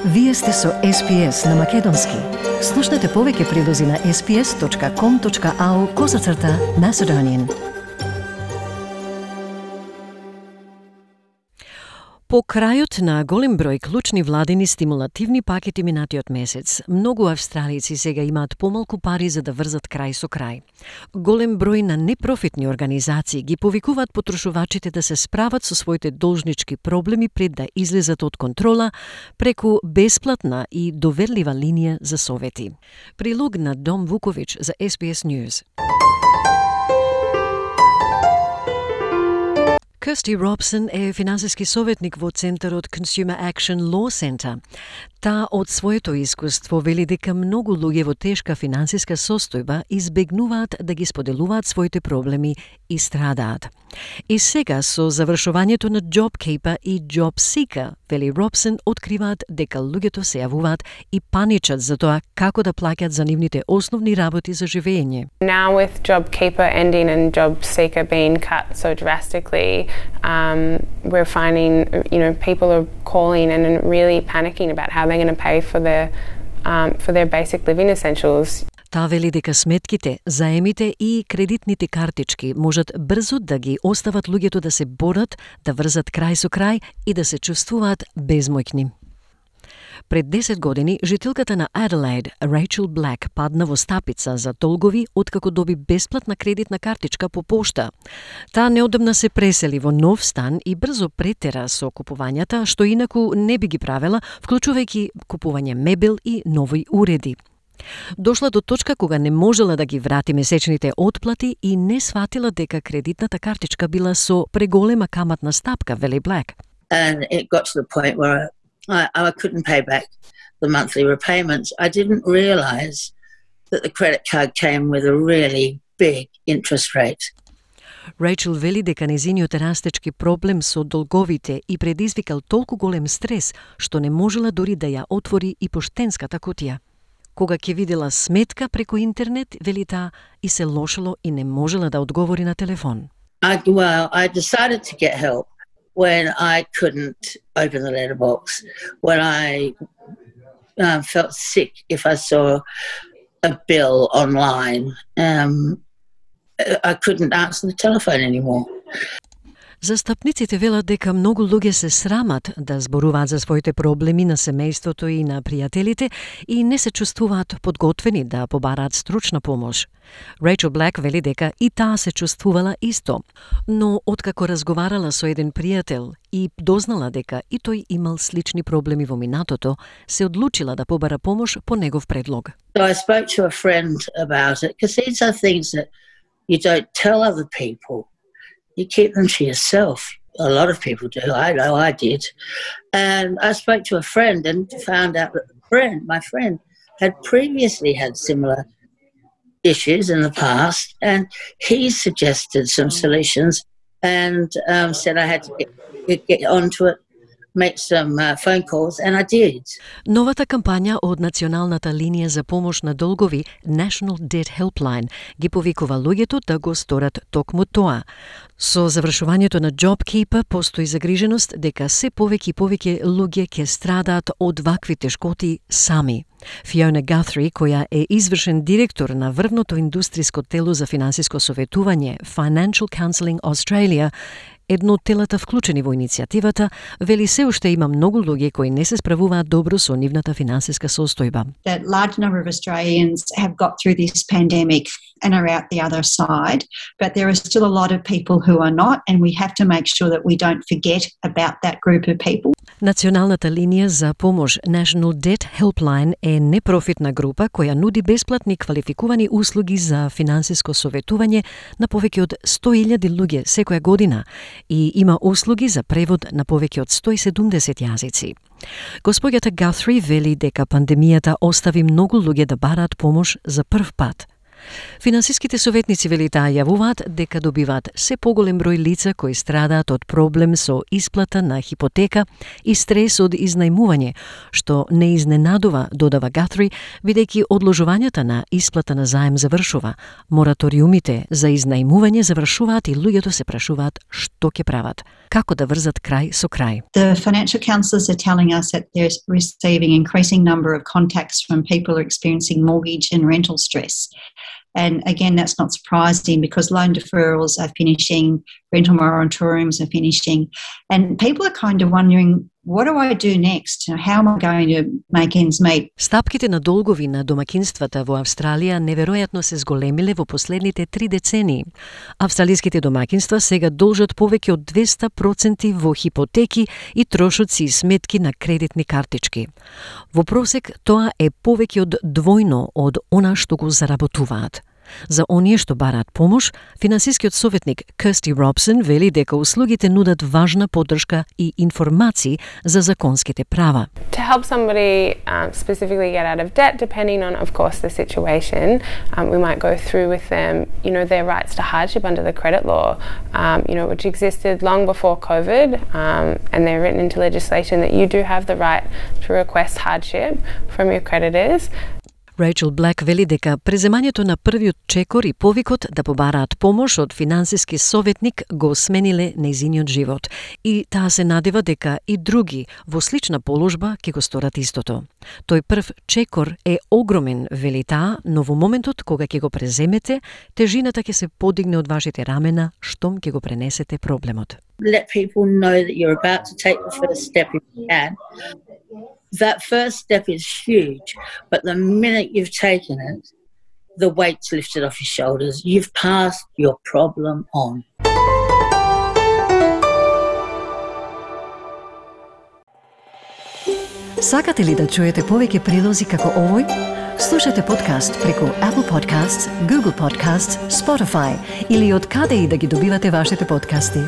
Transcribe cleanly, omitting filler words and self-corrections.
Вие сте со SPS на Македонски. Слушнете повеќе прилози на sps.com.au/Macedonian. По крајот на голем број клучни владини стимулативни пакети минатиот месец, многу австралици сега имаат помалку пари за да врзат крај со крај. Голем број на непрофитни организации ги повикуваат потрошувачите да се справат со своите должнички проблеми пред да излезат од контрола преку бесплатна и доверлива линија за совети. Прилог на Дом Вукович за SBS News. Kirsty Robson е финансиски советник во Центарот Consumer Action Law Center. Таа од своето искуство вели дека многу луѓе во тешка финансиска состојба избегнуваат да ги споделуваат своите проблеми и страдаат. И сега со завршувањето на JobKeeper и JobSeeker, вели Робсон, откриваат дека луѓето се јавуваат и паничат за тоа како да плаќаат за нивните основни работи за живење. Now with JobKeeper ending and JobSeeker being cut so drastically, we're finding, people are calling and really panicking about how they're going to pay for their basic living essentials. Таа вели дека сметките, заемите и кредитните картички можат брзо да ги остават луѓето да се борат, да врзат крај со крај и да се чувствуваат безмоќни. Пред 10 години, жителката на Аделаид, Рейчел Блек, падна во стапица за долгови откако доби бесплатна кредитна картичка по пошта. Таа неодамна се пресели во нов стан и брзо претера со купувањата, што инаку не би ги правела, вклучувајќи купување мебел и нови уреди. Дошла до точка кога не можела да ги врати месечните отплати и не сватила дека кредитната картичка била со преголема каматна стапка, вели Блек. And it got to the point where I couldn't pay back the monthly repayments. I didn't realise that the credit card came with a really big interest rate. Рейчел вели дека незиниот растечки проблем со долговите и предизвикал толку голем стрес, што не можела дори да ја отвори и поштенската кутија. Кога ќе видела сметка преку интернет, вели таа, и се лошело и не можела да одговори на телефон. I decided to get help when I couldn't open the letterbox, when I felt sick if I saw a bill online. I couldn't answer the telephone anymore. Застапниците велат дека многу луѓе се срамат да зборуваат за своите проблеми на семејството и на пријателите и не се чувствуваат подготвени да побараат стручна помош. Рейчел Блек вели дека и таа се чувствувала исто, но откако разговарала со еден пријател и дознала дека и тој имал слични проблеми во минатото, се одлучила да побара помош по негов предлог. So I spoke to a friend about it, because these are things that you don't tell other people. You keep them to yourself. A lot of people do. I know I did. And I spoke to a friend and found out that my friend, had previously had similar issues in the past, and he suggested some solutions and said I had to get onto it, make some phone calls, and I did. Новата кампања од Националната линија за помош на долгови, National Debt Helpline, ги повикува луѓето да го сторат токму тоа. Со завршувањето на JobKeeper постои загриженост дека се повеќе и повеќе луѓе ќе страдаат од вакви тешкоти сами. Фиона Гатри, која е извршен директор на врвното индустриско тело за финансиско советување Financial Counselling Australia, едно од телата вклучени во иницијативата, вели се уште има многу луѓе кои не се справуваат добро со нивната финансиска состојба. That large number of Australians have got through this pandemic and are out the other side, but there are still a lot of people who are not, and we have to make sure that we don't forget about that group of people. Националната линија за помош National Debt Helpline е непрофитна група која нуди бесплатни квалификувани услуги за финансиско советување на повеќе од 100.000 луѓе секоја година и има услуги за превод на повеќе од 170 јазици. Господјата Гатри вели дека пандемијата остави многу луѓе да бараат помош за прв пат. Финансиските советници велите јавуваат дека добиваат се поголем број лица кои страдаат од проблем со исплата на хипотека и стрес од изнајмување, што не изненадува, додава Гатри, бидејќи одложувањата на исплата на заем завршува, мораториумите за изнајмување завршуваат и луѓето се прашуваат што ќе прават, како да врзат крај со крај. The financial counsellors are telling us that they're receiving increasing number of contacts from people who are experiencing mortgage and rental stress. And again, that's not surprising because loan deferrals are finishing, rental moratoriums are finishing, and people are kind of wondering, what do I do next? How am I going to make ends meet? Стапките на долгови на домакинствата во Австралија неверојатно се зголемиле во последните 3 децении. Австралиските домакинства сега должат повеќе од 200% во хипотеки и трошоци и сметки на кредитни картички. Во просек тоа е повеќе од двојно од она што го заработуваат. За оние што бараат помош, финансискиот советник Кирсти Робсон вели дека услугите нудат важна поддршка и информации за законските права. To help somebody specifically get out of debt, depending on, of course, the situation, we might go through with them, their rights to hardship under the credit law, which existed long before COVID, and they're written into legislation that you do have the right to request hardship from your creditors. Рейчел Блек вели дека преземањето на првиот чекор и повикот да побараат помош од финансиски советник го смениле нејзиниот живот и таа се надева дека и други во слична положба ќе го сторат истото. Тој прв чекор е огромен, вели таа, но во моментот кога ќе го преземете, тежината ќе се подигне од вашите рамена штом ќе го пренесете проблемот. Let people know that you're about to take the first step if you can. That first step is huge, but the minute you've taken it, the weight's lifted off your shoulders. You've passed your problem on. Сакате ли да чуете повеќе прилози како овој? Слушате подкаст преку Apple Podcasts, Google Podcasts, Spotify или од каде и да ги добивате вашите подкасти.